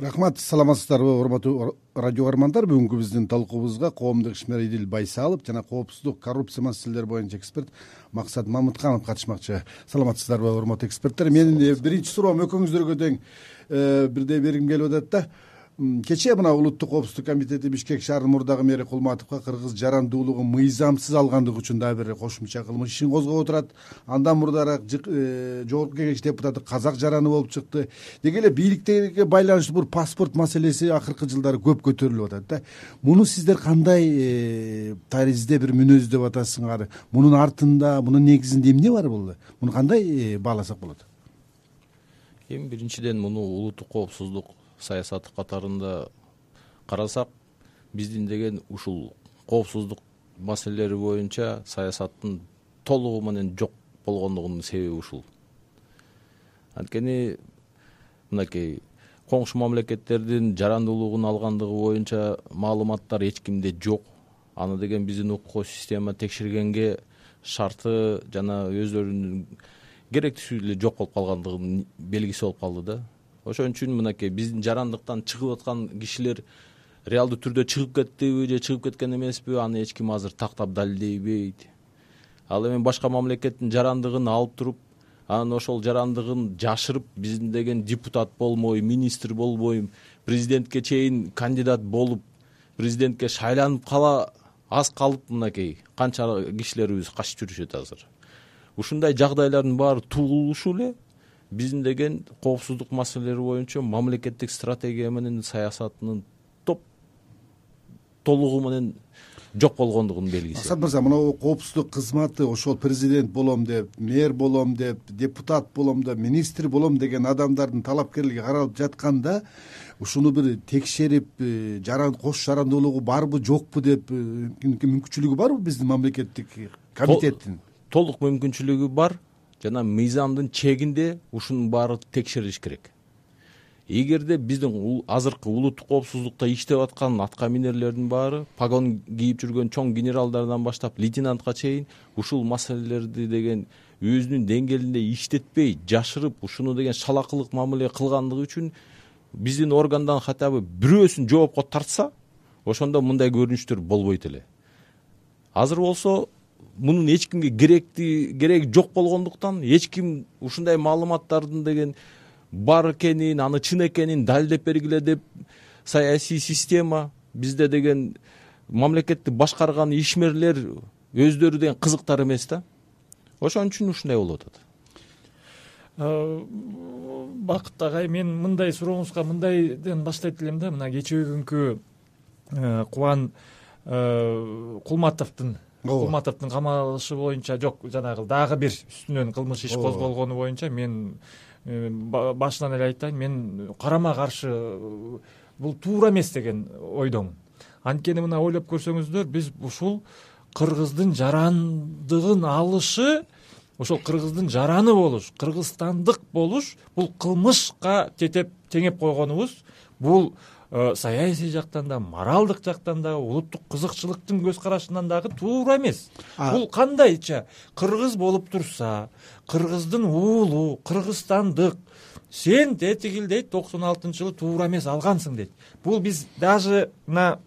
Рахмат, саламатсыздарбы урматтуу радио көрөрмандар. Бүгүнкү биздин талкуубузга коомдук ишмер Идил Байсалов жана коопсуздук, коррупция маселелери боюнча эксперт Максат Мамытканов катышмакчы. Саламатсыздарбы урматтуу эксперттер? Менин биринчи суроом экөөңүздөргө тең бирдей бергим келип атат да. Кечээ мына Улуттук коопсуздук комитети Бишкек шаарынын мурдагы мэри Кулматовго кыргыз жарандуулугун мыйзамсыз алгандыгы үчүн дагы бир кошумча кылмыш ишин козгоп отурат. Андан мурдараак жогорку кеңеш депутаты казак жараны болуп чыкты. Деги эле бийликтерге байланыштуу бул паспорт маселеси акыркы жылдары көп көтөрүлүп атат да. Муну сиздер кандай таризде бир мүнөз деп атасыңар? Мунун артында, мунун негизинде эмне бар бул? Муну кандай бааласак болот? Эми биринчиден муну улуттук коопсуздук саясаты катарында карасак, биздин деген ушул коопсуздук маселелери боюнча саясаттын толугу менен жок болгондугунун себеби ушул. Анткени мынакей коңшу мамлекеттердин жарандуулугун алгандыгы боюнча маалыматтар эч кимде жок. Аны деген биздин укук система текшергенге шарты жана өздөрүнүн керектүүсү эле жок болуп калгандыгынын белгиси болуп калды да. Ошон үчүн мынакей биздин жарандыктан чыгып аткан кишилер реалдуу түрдө чыгып кеттиби же чыгып кеткен эмеспи, аны эч ким азыр тактап далилдейбейт. Ал эми башка мамлекеттин жарандыгын алып туруп, анан ошол жарандыгын жашырып, биздин деген депутат болмой, министр болбой, президентке чейин кандидат болуп, президентке шайланып аз калып мынакей канча кишилерибиз качып жүрүшөт азыр. Ушундай жагдайлардын баары туулушу эле биздин деген коопсуздук маселелери боюнча мамлекеттик стратегия менен саясатынын толугу менен жок болгондугунун белгиси. Максат мырза, мына коопсуздук кызматы ошол президент болом деп, мэр болом деп, депутат болом деп, министр болом деген адамдардын талапкерлиги каралып жатканда, ушуну бир текшерип, кош жарандуулугу барбы, жокпу деп мүмкүнчүлүгү барбы биздин мамлекеттик комитеттин? Толук мүмкүнчүлүгү бар. Жана мыйзамдын чегинде ушунун баары текшерилиш керек. Эгерде биздин азыркы улуттук коопсуздукта иштеп аткан атка минерлердин баары, погон кийип жүргөн чоң генералдардан баштап лейтенантка чейин ушул маселелерди деген өзүнүн деңгээлинде иштетпей, жашырып, ушуну деген шалакылык мамиле кылгандыгы үчүн биздин органдан хотя бы бирөөсүн жоопко тартса, ошондо мындай көрүнүштөр болбойт эле. Азыр болсо мунун эч кимге кереги жок болгондуктан эч ким ушундай маалыматтардын деген бар экенин, аны чын экенин далилдеп бергиле деп саясий система, бизде деген мамлекетти башкарган ишмерлер өздөрү деген кызыктар эмес да. Ошон үчүн ушундай болуп атат. Бакыт агай, мен мындай сурооңузга мындайдан баштайт элем да. Мына кечээ күнкү Кубан Кулматовдун камалышы боюнча, жок, жанагы дагы бир үстүнөн кылмыш иш козголгону боюнча мен башынан эле айтайын, мен карама каршы бул туура эмес деген ойдомун. Анткени мына ойлоп көрсөңүздөр, биз ушул кыргыздын жарандыгын алышы, ошол кыргыздын жараны болуш, кыргызстандык болуш, бул кылмышка теңеп койгонубуз, бул саясий жактан да, моралдык жактан да, улуттук кызыкчылыктын көз карашынан дагы туура эмес. Бул кандайча кыргыз болуп турса, кыргыздын уулу, кыргызстандык, сен тетигил дейт, 96-жылы туура эмес алгансың дейт. Бул биз даже мына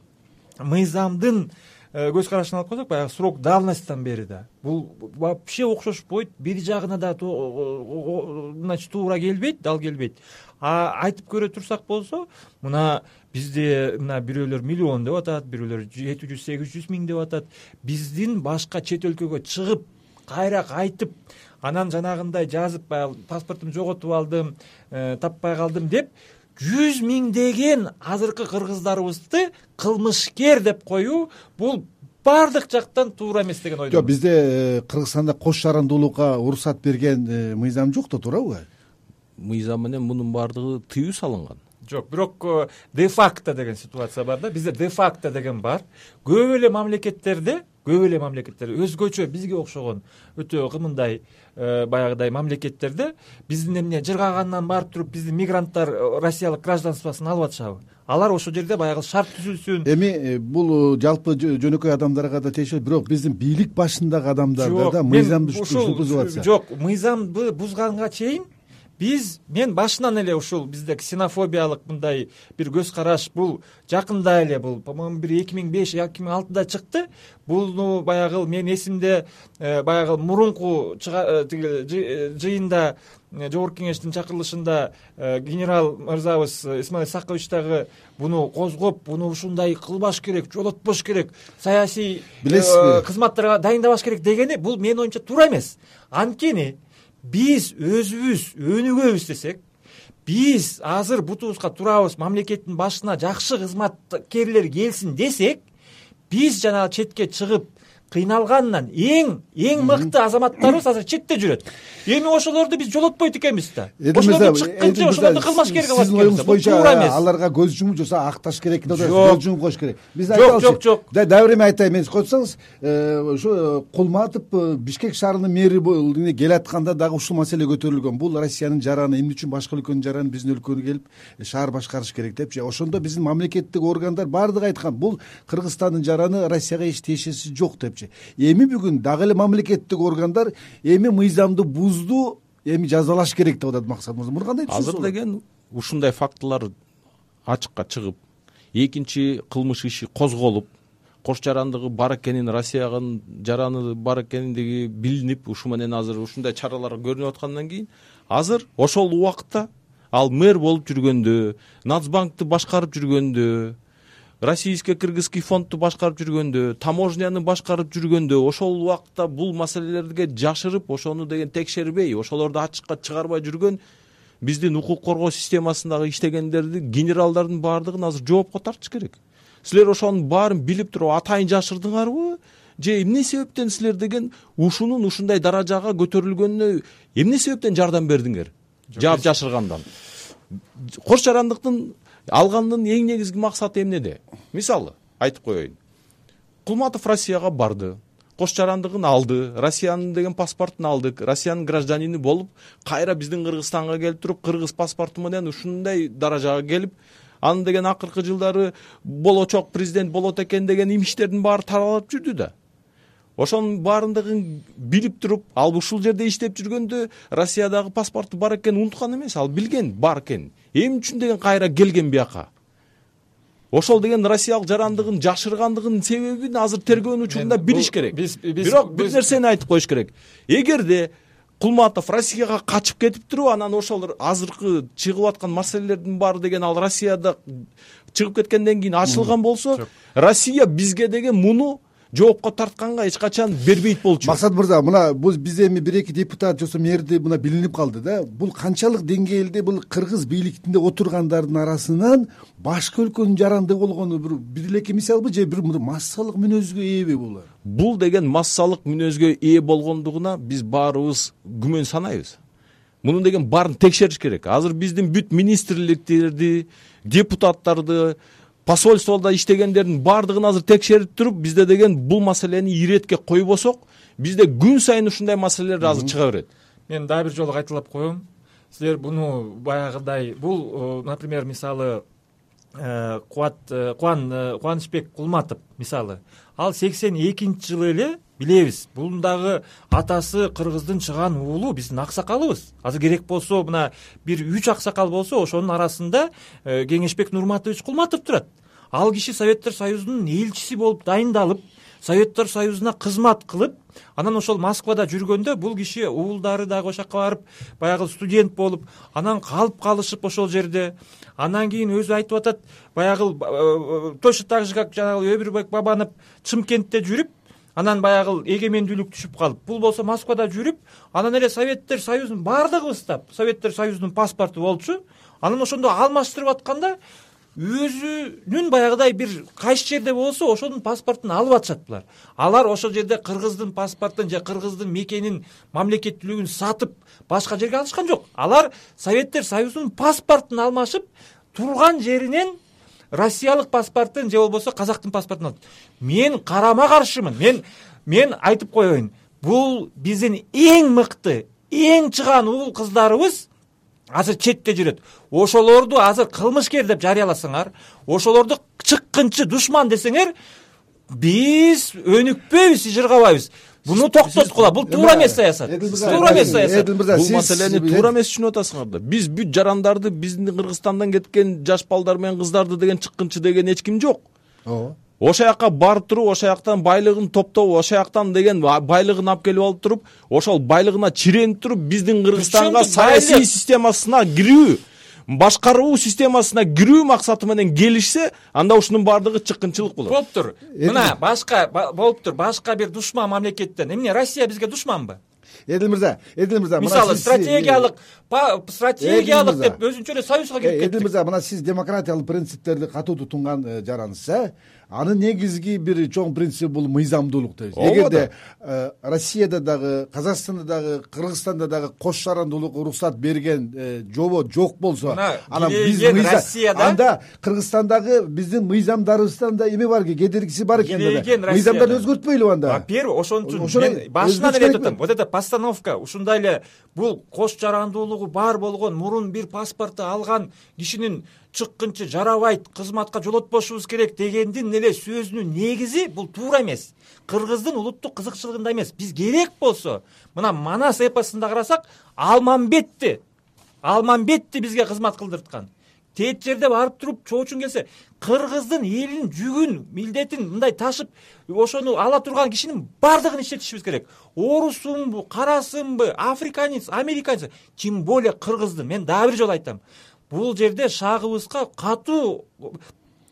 мыйзамдын көз карашынан алып койсок, баягы срок давностьтан бери да бул вообще окшошпойт, бир жагына да значит туура келбейт, дал келбейт. Айтып көрө турсак болсо, мына бизде мына бирөөлөр миллион деп атат, бирөөлөр 700-800 миң деп атат. Биздин башка чет өлкөгө чыгып, кайра кайтып, анан жанагындай жазып, баягы паспортумду жоготуп алдым, таппай калдым деп 100 миңдеген азыркы кыргыздарыбызды кылмышкер деп коюу, бул бардык жактан туура эмес деген ойдомун. Жок, бизде Кыргызстанда кош жарандуулукка уруксат берген мыйзам жок да, туурабы? Мыйзам менен мунун баардыгы тыюу салынган. Жок, бирок де факто деген ситуация бар да. Бизде де факто деген бар. Көп эле мамлекеттерде өзгөчө бизге окшогон өтө кымындай баягыдай мамлекеттерде биздин эмне жыргагандан барып туруп биздин мигранттар россиялык гражданствосын алып атышабы? Алар ошол жерде баягы шарт түзүлсүн. Эми бул жалпы жөнөкөй адамдарга да тиешелүү, бирок биздин бийлик башындагы адамдарда да мыйзамды бузуп атса. Жок, мыйзамды бузганга чейин мен башынан эле ушул бизде ксенофобиялык мындай бир көз караш бул жакында эле, бул по-моему бир 2005-2006 чыкты. Буну баягы мен эсимде баягы мурунку жыйында Жогорку кеңештин чакырылышында генерал мырзабыз Исмаил Саккович дагы буну козгоп, буну ушундай кылбаш керек, жолотпош керек, саясий кызматтарга дайындабаш керек дегени бул менин оюмча туура эмес. Анткени биз өзүбүз өнүгөбүз десек, биз азыр бутубузга турабыз, мамлекеттин башына жакшы кызматкерлер келсин десек, биз жанагы четке чыгып кыйналгандан эң мыкты азаматтарыбыз азыр четте жүрөт. Эми ошолорду биз жолотпойт экенбиз да. Ошолорду чыкканча ошолорду кылмаш керек алат. Сиздин оюңуз боюнча аларга көз жумуп жаса акташ керек, көз жумуп коюш керек. Биз айтабыз. Жок. Дагы эме айтайын, мен койсоңуз, ушу Кулматов Бишкек шаарынын мэри келатканда дагы ушул маселе көтөрүлгөн. Бул Россиянын жараны, эмне үчүн башка өлкөнүн жараны биздин өлкөгө келип шаар башкарыш керек депчи. Ошондо биздин мамлекеттик органдар бардыгы айткан, бул Кыргызстандын жараны, Россияга эч тиешеси жок депчи. Эми бүгүн дагы эле мамлекеттик органдар эми мыйзамды бузду, эми жазалаш керек деп атат Максат мырза. Муну кандай түшүнөсүз? Азыр деген ушундай фактылар ачыкка чыгып, экинчи кылмыш иши козголуп, кош жарандыгы бар экенин, Россиянын жараны бар экендиги билинип, ушу менен азыр ушундай чаралар көрүнүп аткандан кийин, азыр ошол убакытта ал мэр болуп жүргөндө, Нацбанкты башкарып жүргөндө, Российский кыргызский фондду башкарып жүргөндө, таможняны башкарып жүргөндө, ошол убакытта бул маселелерге жашырып, ошону деген текшербей, ошолорду ачыкка чыгарбай жүргөн биздин укук коргоо системасындагы иштегендерди, генералдардын баардыгын азыр жоопко тартыш керек. Силер ошонун баарын билип туруп атайын жашырдыңарбы? Же эмне себептен силер деген ушунун ушундай даражага көтөрүлгөнүнө эмне себептен жардам бердиңер? Жаап жашыргандан. Кош жарандыктын алгандын эң негизги максаты эмнеде? Мисалы айтып коеюн. Кулматов Россияга барды, кош жарандыгын алды, Россиянын деген паспортун алды, Россиянын гражданини болуп, кайра биздин Кыргызстанга келип туруп, кыргыз паспорту менен ушундай даражага келип, анын деген акыркы жылдары болочок президент болот экен деген имиштердин баары таралып жүрдү да. Ошонун баардыгын билип туруп, ал ушул жерде иштеп жүргөндө Россиядагы паспорту бар экенин унуткан эмес, ал билген бар экенин. Эмне үчүн деген кайра келген бияка? Ошол деген россиялык жарандыгын жашыргандыгынын себебин азыр тергөөнүн учурунда билиш керек. Бирок бир нерсени айтып коюш керек. Эгерде Кулматов Россияга качып кетип туруп, анан ошол азыркы чыгып аткан маселелердин баары деген ал Россияда чыгып кеткенден кийин ачылган болсо, Россия бизге деген муну жоопко тартканга эч качан бербейт болчу. Максат мырза, мына бул бизде эми 1-2 депутат жосо мэрди мына билинип калды да. Бул канчалык деңгээлде бул кыргыз бийликтинде отургандардын арасынан башка өлкөнүн жарандыгы болгону бир эки мисалбы же бир массалык мүнөзгө ээби булар? Бул деген массалык мүнөзгө ээ болгондугуна биз баарыбыз күмөн санайбыз. Мунун деген баарын текшериш керек. Азыр биздин бүт министрликтерди, депутаттарды, посольстводо иштегендердин баардыгын азыр текшерип туруп, бизде деген бул маселени иретке койбосок, бизде күн сайын ушундай маселелер азыр чыга берет. Мен дагы бир жолу кайталап коем. Силер буну баягыдай, бул, например, мисалы Кубанычбек Кулматов мисалы, ал 82-жылы эле билебиз. Бунун дагы атасы кыргыздын чыган уулу, биздин аксакалыбыз. Азыр керек болсо мына бир 3 аксакал болсо, ошонун арасында Кеңешбек Нурматович Кулматов турат. Ал киши Советтер Союзунун элчиси болуп дайындалып, Советтер Союзуна кызмат кылып, анан ошол Москвада жүргөндө бул киши уулдары дагы ошол жака барып, баягы студент болуп, анан калып калышып ошол жерде. Андан кийин өзү айтып атат, баягы точно так же как жанагы Өбүрбек Бабанов Чымкентте жүрүп, анан баягы эгемендүүлүк түшүп калып, бул болсо Москвада жүрүп, анан эле Советтер Союзунун баардыгыбыз да Советтер Союзунун паспорту болчу. Анан ошондо алмаштырып атканда өзүнүн баягыдай бир кайсы жерде болсо ошонун паспортун алып атышат булар. Алар ошол жерде кыргыздын паспортун же кыргыздын мекенин, мамлекеттүүлүгүн сатып башка жерге алышкан жок. Алар Советтер Союзунун паспортун алмашып, турган жеринен Россиялык паспортун же болбосо казактын паспортун алат. Мен карама каршымын. Мен айтып коеюн. Бул биздин эң мыкты, эң чыган уул кыздарыбыз азыр четте жүрөт. Ошолорду азыр кылмышкер деп жарыяласаңар, ошолорду чыккынчы душман десеңер, биз өнүкпөйбүз, жыргабайбыз. буну токтоткула. Бул туура эмес саясат. Туура эмес саясат. Бул маселени туура эмес түшүнүп атасыңар да. Біз бүт жарандарды, биздин Кыргызстандан кеткен жаш балдар менен кыздарды деген чыккынчы деген эч ким жок. ооба. Ошо жака барып туруп, ошо жактан байлыгын топтоп, ошо жактан деген байлыгын алып келип алып туруп, ошол байлыгына чиренип туруп, биздин Кыргызстанга саясий системасына кирүү, башкаруу системасына кирүү максаты менен келишсе, анда ушунун баардыгы чыккынчылык болот. Болуптур. Мына башка болуптур, башка бир душман мамлекеттен. Эмне Россия бизге душманбы? Эдил мырза, мисалы стратегиялык деп өзүнчө эле союзга кирип кетти. Эдил мырза, мына сиз демократиялык принциптерди катуу тутунган жарансыз, анын негизги бир чоң принцип бул мыйзамдуулук дейбиз. Эгерде Россияда дагы, Казакстанда дагы, Кыргызстанда дагы кош жарандуулукка уруксат берген жобо жок болсо, анан биз анда Кыргызстандагы биздин мыйзамдарыбыздан да эме бар, кедергиси бар экен да. Мыйзамдарды өзгөртпөйлүбү анда? Во-первых, ошон үчүн мен башынан эле айтып атам. Вот эта постановка, ушундай эле бул кош жарандуулугу бар болгон, мурун бир паспорту алган кишинин чыккынчы жарабайт, кызматка жолотпошубуз керек дегендин эле сөзүнүн негизи бул туура эмес. Кыргыздын улуттук кызыкчылыгында эмес. Биз керек болсо, мына Манас эпосунда карасак, Алмамбетти бизге кызмат кылдырткан. Тет жерде барып туруп чоочун келсе, кыргыздын элинин жүгүн, милдетин мындай ташып, ошону ала турган кишинин бардыгын иштетишибиз керек. Орусунбу, карасынбы, африканец, американец, тем более кыргыздын. Мен дагы бир жолу айтам. Бул жерде шагыбызга катуу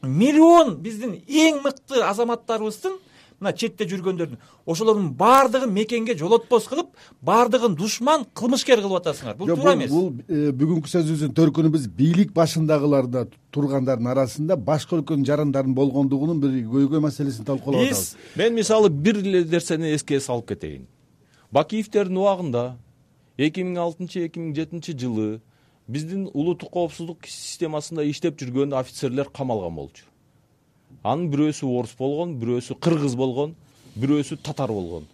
миллион биздин эң мыкты азаматтарыбыздын, мына четте жүргөндөрдүн, ошолордун бардыгын мекенге жолотпос кылып, бардыгын душман, кылмышкер кылып атасыңар. Бул туура эмес. Бул бүгүнкү сөзүбүздүн төркүнү биз бийлик башындагыларда тургандардын арасында башка өлкөнүн жарандарын болгондугунун бир көйгөй маселесин талкуулап атабыз. Мен мисалы бир эле нерсени эске салып кетейин. Бакиевдердин убагында 2006-2007 жылы биздин улуттук коопсуздук системасында иштеп жүргөн офицерлер камалган болчу. Анын бирөөсү орус болгон, бирөөсү кыргыз болгон, бирөөсү татар болгон.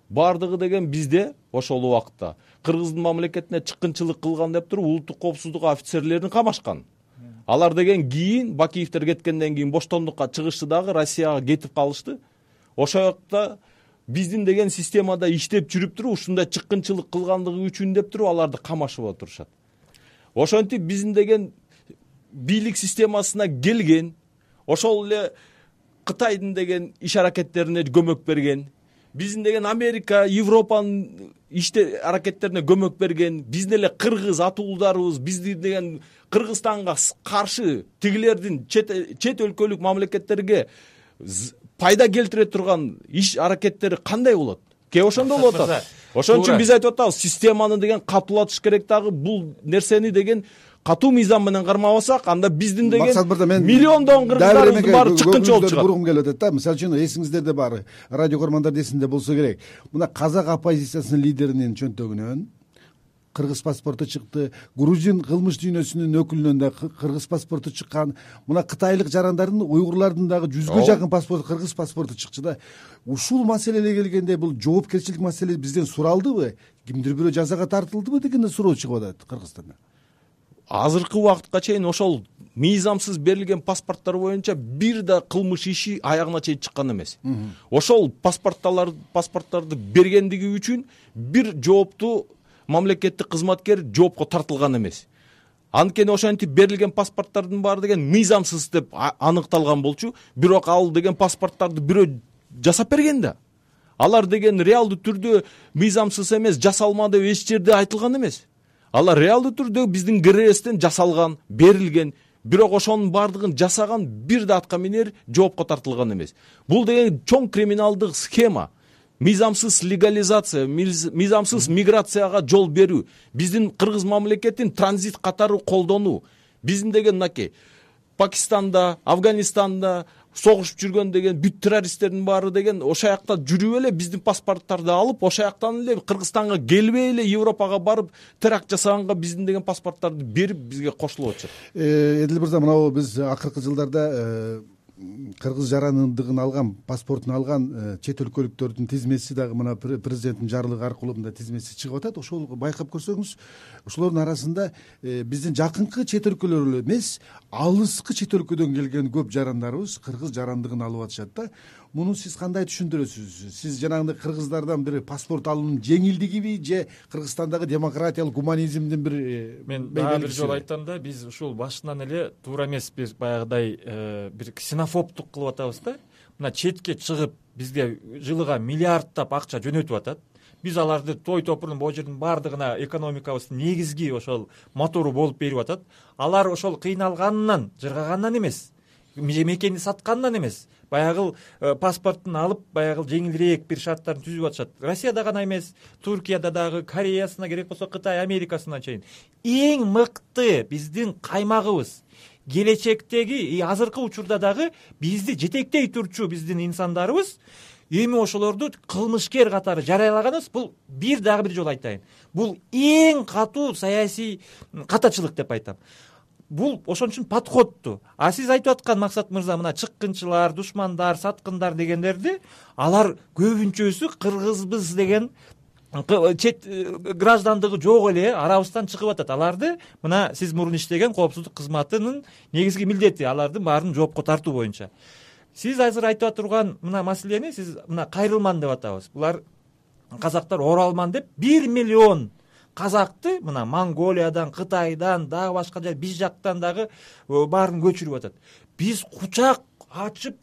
Бардыгы деген бизде ошол убакытта кыргыздын мамлекетине чыккынчылык кылган деп туруп улуттук коопсуздук офицерлерин камашкан. Алар деген кийин Бакиевдер кеткенден кийин боштондукка чыгышты дагы, Россияга кетип калышты. Ошол жакта биздин деген системада иштеп жүрүп туруп ушундай чыккынчылык кылгандыгы үчүн деп туруп аларды камашып отурушат. Ошентип биздин деген бийлик системасына келген, ошол эле Кытайдын деген иш аракеттерине көмөк берген, биздин деген Америка, Европанын иште аракеттерине көмөк берген, биздин эле кыргыз атуулдарыбыз биздин деген Кыргызстанга каршы тигилердин чет өлкөлүк мамлекеттерге пайда келтире турган иш аракеттери кандай болот? Ошондо болуп атат. Ошон үчүн биз айтып атабыз, системаны деген катуулатыш керек дагы, бул нерсени деген катуу мыйзам менен кармабасак, анда биздин деген миллиондон кыргыздарыбыздын баары чыккынчы болуп чыгат. Бургум келип атат да. Мисалы үчүн эсиңиздерде бар, радио көрмөндөрдүн эсинде болсо керек. Мына казак оппозициясынын лидеринин чөнтөгүнөн кыргыз паспорту чыкты, грузин кылмыш дүйнөсүнүн өкүлүнөн да кыргыз паспорту чыккан, мына кытайлык жарандардын, уйгурлардын дагы 100гө жакын паспорту, кыргыз паспорту чыкчу да. Ушул маселеге келгенде бул жоопкерчилик маселе бизден суралдыбы? Кимдир бирөө жазага тартылдыбы деген суроо чыгып атат Кыргызстанда. Азыркы убакытка чейин ошол мыйзамсыз берилген паспорттор боюнча бир да кылмыш иши аягына чейин чыккан эмес. Ошол паспорттарды бергендиги үчүн бир жооптуу мамлекеттик кызматкер жоопко тартылган эмес. Анткени ошентип берилген паспорттардын баары деген мыйзамсыз деп аныкталган болчу, бирок ал деген паспорттарды бирөө жасап берген да. Алар деген реалдуу түрдө мыйзамсыз эмес, жасалма деп эч жерде айтылган эмес. Алар реалдуу түрдө биздин КРСтен жасалган, берилген, бирок ошонун баардыгын жасаган бир да атка минер жоопко тартылган эмес. Бул деген чоң криминалдык схема. Мыйзамсыз легализация, мыйзамсыз миграцияга жол берүү, биздин кыргыз мамлекетин транзит катары колдонуу, биздин деген мынакей Пакистанда, Афганистанда согушуп жүргөн деген бүт террористтердин баары деген ошол жакта жүрүп эле биздин паспорттарды алып, ошол жактан эле Кыргызстанга келбей эле Европага барып теракт жасаганга биздин деген паспорттарды берип бизге кошулуп атышат. Эдил мырза, мына биз акыркы жылдарда кыргыз жарандыгын алган, паспортун алган чет өлкөлүктөрдүн тизмеси дагы мына президенттин жарлыгы аркылуу мындай тизмеси чыгып атат. Ошол байкап көрсөңүз, ошолордун арасында биздин жакынкы чет өлкөлөр эле эмес, алыскы чет өлкөдөн келген көп жарандарыбыз кыргыз жарандыгын алып атышат да. муну сиз кандай түшүндүрөсүз? Сиз жанагындай кыргыздардан бир паспорт алуунун жеңилдигиби же Кыргызстандагы демократиялык гуманизмдин бир мен дагы бир жолу айттым да, биз ушул башынан эле туура эмес бир баягыдай бир ксенофобдук кылып атабыз да. Мына четке чыгып бизге жылыга миллиарддап акча жөнөтүп атат. Биз аларды той топурдун бул жердин баардыгына экономикабыздын негизги ошол мотору болуп берип атат. Алар ошол кыйналганынан, жыргагандан эмес, мекенди саткандан эмес, баягы паспортун алып, баягы жеңилирээк бир шарттарын түзүп атышат. Россияда гана эмес, Туркияда дагы, Кореясына, керек болсо Кытай, Америкасына чейин. Эң мыкты биздин каймагыбыз, келечектеги, азыркы учурда дагы бизди жетектей турчу биздин инсандарыбыз эми ошолорду кылмышкер катары жарыялаганыбыз, бул дагы бир жолу айтайын. Бул эң катуу саясий катачылык деп айтам. Бул ошон үчүн подходту. А сиз айтып аткан Максат мырза, мына чыккынчылар, душмандар, саткындар дегендерди, алар көбүнчөсү кыргызбыз деген чет граждандыгы жок эле арабыздан чыгып атат. Аларды мына сиз мурун иштеген коопсуздук кызматынын негизги милдети, алардын баарын жоопко тартуу боюнча. Сиз азыр айтып турган мына маселени сиз мына кайрылман деп атабыз. Булар казактар оралман деп 1 миллион казакты мына Монголиядан, Кытайдан, дагы башка жер биз жактан дагы баарын көчүрүп атат. Биз кучак ачып,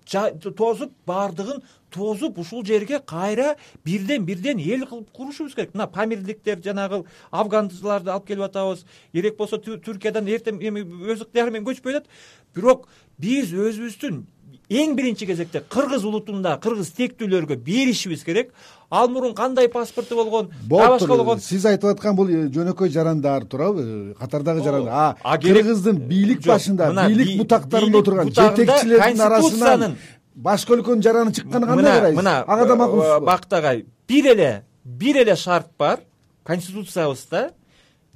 тозуп, баардыгын тозуп ушул жерге кайра бирден эл кылып курушубуз керек. Мына памирликтер, жанагы афганчыларды алып келип атабыз. Керек болсо Түркиядан эртең эми өз ыктыяры менен көчүп атат. Бирок биз өзүбүздүн эң биринчи кезекте кыргыз улутунда кыргыз тектүүлөргө беришибиз керек. Ал мурун кандай паспорту болгон, башка болгон. Сиз айтып аткан бул жөнөкөй жарандар туурабы? Катардагы жарандар. Кыргыздын бийлик башында, бийлик бутактарында отурган жетекчилердин арасынан башка өлкөнүн жараны чыкканы кандай карайсыз? Ага да макулсузбу? Бактагай бир эле шарт бар конституциябызда.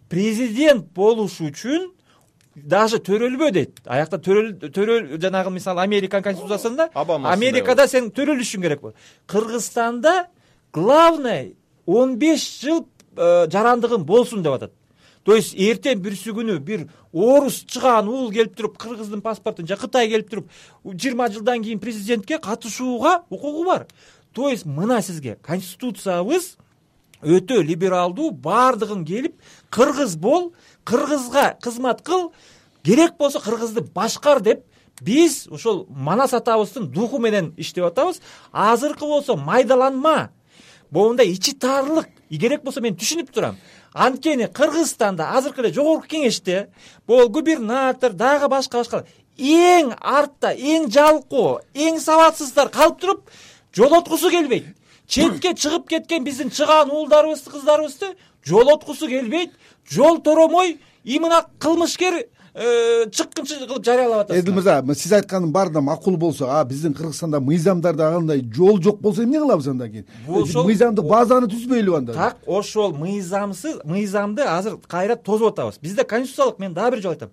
Президент болуш үчүн даже төрөлбө дейт. Аякта төрөл жанагы мисалы Американ конституциясында Америкада сен төрөлүшүң керек болот. Кыргызстанда главное 15 жыл жарандыгың болсун деп атат. То есть эртең бүрсү күнү бир орус чыган уул келип туруп кыргыздын паспортун же Кытай келип туруп 20 жылдан кийин президентке катышууга укугу бар. То есть мына сизге конституциябыз өтө либералдуу, баардыгын келип кыргыз бол, кыргызга кызмат кыл, керек болсо кыргызды башкар деп биз ошол Манас атабыздын духу менен иштеп атабыз. Азыркы болсо майдаланма, моундай ичи таарлык, керек болсо мен түшүнүп турам. Анткени Кыргызстанда азыркы эле жогорку кеңеште бул губернатор дагы башка эң артта, эң жалкоо, эң сабатсыздар калып туруп жолоткусу келбейт. Четке чыгып кеткен биздин чыган уулдарыбызды, кыздарыбызды жолоткусу келбейт. Жол торомой имына кылмышкер чыккынчы кылып жарыялап атат. Эдил мырза, сиз айтканын баары да макул болсо, биздин Кыргызстанда мыйзамдарда андай жол жок болсо эмне кылабыз андан кийин? Мыйзамдык базаны түзбөйлүбү анда? Так, ошол мыйзамды азыр кайра тозуп атабыз. Бизде конституциялык, мен дагы бир жолу айтам,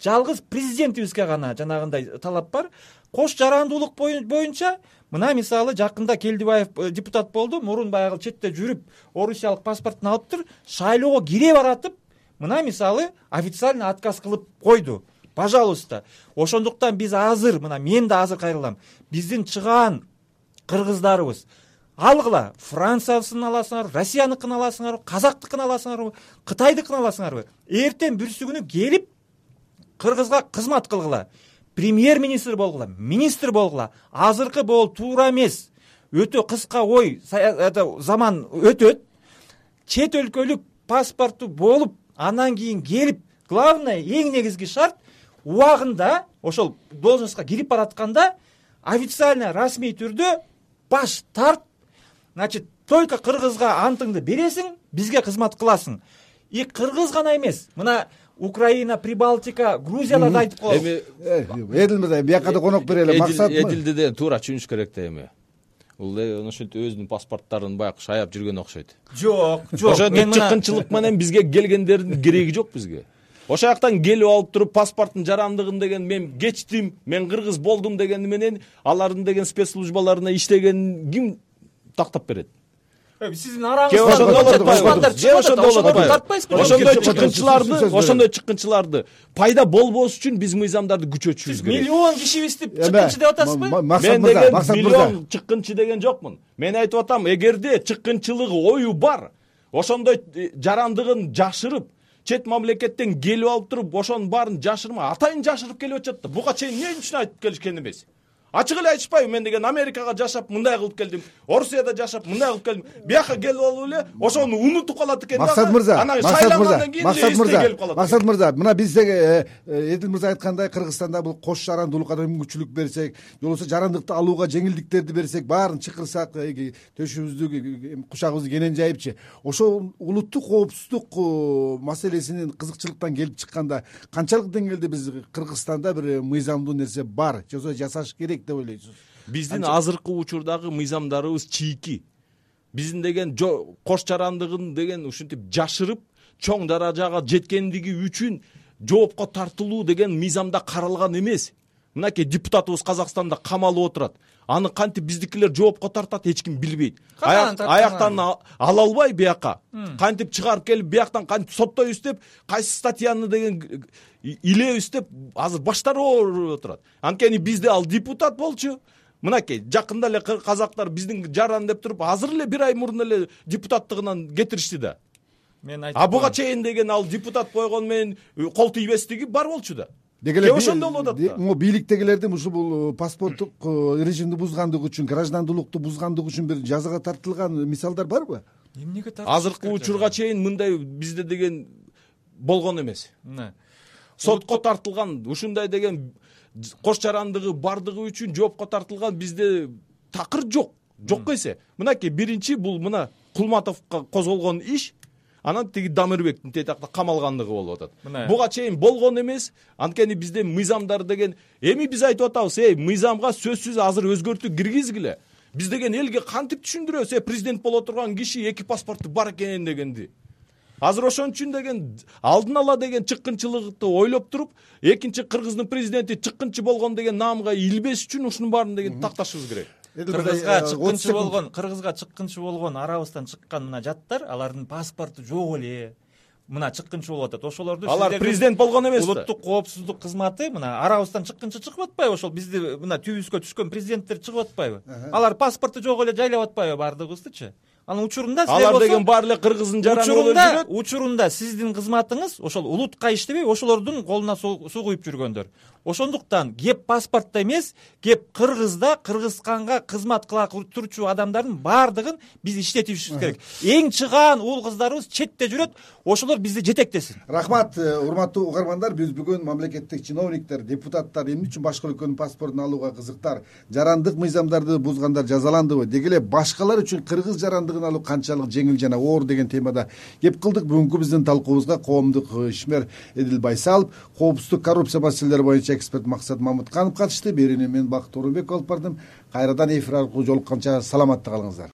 жалгыз президентибизге гана жанагындай талап бар. Кош жарандуулук боюнча мына мисалы жакында Келдибаев депутат болду, мурун баягы четте жүрүп, орусиялык паспортун алыптыр, шайлоого кире баратып, мына мисалы официально отказ кылып койду. Пожалуйста. Ошондуктан биз азыр, мына мен да азыр кайрылам. Биздин чыган кыргыздарыбыз алгыла, Франциясын аласыңарбы, Россияныкын аласыңарбы, казактыкын аласыңарбы, Кытайдыкын аласыңарбы, эртең бүрсү күнү келип кыргызга кызмат кылгыла. Премьер-министр болгула, министр болгула. Азыркы бол туура эмес. Өтө кыска ой, заман өтөт. Чет өлкөлүк паспорту болуп, андан кийин келип, главное, эң негизги шарт убагында ошол должностька кирип баратканда официально, расмий түрдө баш тарт. Значит, только кыргызга антыңды бересиң, бизге кызмат кыласың. И кыргыз гана эмес. Мына Украина, Прибалтика, Грузияларды айтып коелу. Эдил мырза, бияка да конок берели. Максат Эдилди де туура түшүнүш керек да эми. Бул ошентип өзүнүн паспорттарын баягы шаяп жүргөн окшойт. Жок. Ошентип чыккынчылык менен бизге келгендердин кереги жок бизге. Ошол жактан келип алып туруп паспорттун жарандыгын деген мен кечтим, мен кыргыз болдум дегени менен алардын деген спецслужбаларына иштеген ким тактап берет? Сиздин араңызда ошондой чыккынчыларды пайда болбош үчүн биз мыйзамдарды күчөтүшүбүз керек. Миллион кишибизди чыккынчы деп атасызбы? Мен деген миллион чыккынчы деген жокмун. Мен айтып атам, эгерде чыккынчылыгы ою бар, ошондой жарандыгын жашырып, чет мамлекеттен келип алып туруп, ошонун баарын жашырма, атайын жашырып келип атышат да. Буга чейин эмне үчүн айтып келишкен эмес? Ачык эле айтышпайбы? Мен деген Америкага жашап мындай кылып келдим, Орусияда жашап мындай кылып келдим. Бияка келип алып эле ошону унутуп калат экен да. Максат мырза, мына бизде Эдил мырза айткандай, Кыргызстанда бул кош жарандуулукка мүмкүнчүлүк берсек, же болбосо жарандыкты алууга жеңилдиктерди берсек, баарын чакырсак, төшүбүздү, кучагыбызды кенен жайыпчы. Ошол улуттук коопсуздук маселесинин кызыкчылыктан келип чыкканда канчалык деңгээлде биз Кыргызстанда бир мыйзамдуу нерсе бар, же болбосо жасаш керек деп ойлойсуз? Биздин азыркы учурдагы мыйзамдарыбыз чийки. Биздин деген кош жарандыгын деген ушинтип жашырып, чоң даражага жеткендиги үчүн жоопко тартылуу деген мыйзамда каралган эмес. Мынакей депутатыбыз Казакстанда камалып отурат. Аны кантип биздикилер жоопко тартат, эч ким билбейт. Аяктан ала албай бияка кантип чыгарып келип, бияктан кантип соттойбуз деп, кайсы статьяны деген илебиз деп азыр баштары ооруп отурат. Анткени бизде ал депутат болчу. Мынакей жакында эле казактар биздин жаран деп туруп, азыр эле бир ай мурун эле депутаттыгынан кетиришти да. Буга чейин деген ал депутат койгон менен кол тийбестиги бар болчу да. Ошондой болуп атат да. Могу бийликтегилердин ушу бул паспорттук режимди бузгандыгы үчүн, граждандуулукту бузгандыгы үчүн бир жазага тартылган мисалдар барбы? Эмнеге тартылган? Азыркы учурга чейин мындай бизде деген болгон эмес. Сотко тартылган, ушундай деген кош жарандыгы бардыгы үчүн жоопко тартылган бизде такыр жок. Жок эсе. Мынакей биринчи бул мына Кулматовго козголгон иш, анан тиги Дамирбектин тетакта камалгандыгы болуп атат. Буга чейин болгон эмес. Анткени бизде мыйзамдар деген эми биз айтып атабыз, мыйзамга сөзсүз азыр өзгөртүү киргизгиле. Биз деген элге кантип түшүндүрөбүз, президент боло турган киши эки паспорту бар экен дегенди. Азыр ошон үчүн деген алдын ала деген чыккынчылыкты ойлоп туруп, экинчи Кыргыздын президенти чыккынчы болгон деген наамга илбеш үчүн ушунун баарын деген такташыбыз керек. Кыргызга чыккынчы болгон арабыздан чыккан мына жаттар, алардын паспорту жок эле. Мына чыккынчы болуп атат. Ошолорду алар президент болгон эмес да. Улуттук коопсуздук кызматы мына арабыздан чыккынчы чыгып атпайбы? Ошол бизди мына түбүбүзгө түшкөн президенттер чыгып атпайбы? Алар паспорту жок эле жайлап атпайбы бардыгыбыздычы? Анын учурунда алар деген баары эле кыргыздын жараны болуп жүрөт. Учурунда сиздин кызматыңыз ошол улутка иштебей, ошолордун колуна суу куюп жүргөндөр. Ошондуктан кеп паспортто эмес, кеп Кыргызда Кыргызстанга кызмат кыла турчу адамдардын баардыгын биз иштетишибиз керек. Эң чыгаан уул кыздарыбыз четте жүрөт, ошолор бизди жетектесин. Рахмат, урматтуу угармандар. Биз бүгүн мамлекеттик чиновниктер, депутаттар эмне үчүн башка өлкөнүн паспортун алууга кызыктар, жарандык мыйзамдарды бузгандар жазаландыбы, деги эле башкалар үчүн кыргыз жарандыгын алуу канчалык жеңил жана оор деген темада кеп кылдык. Бүгүнкү биздин талкуубузга коомдук ишмер Эдил Байсалов, коопсуздук коррупция маселелери боюнча эксперт Максат Мамытканов катышты. Берүүнү мен Бакыт Орунбеков алып бардым. Кайрадан эфир аркылуу жолукканча саламатта калыңыздар.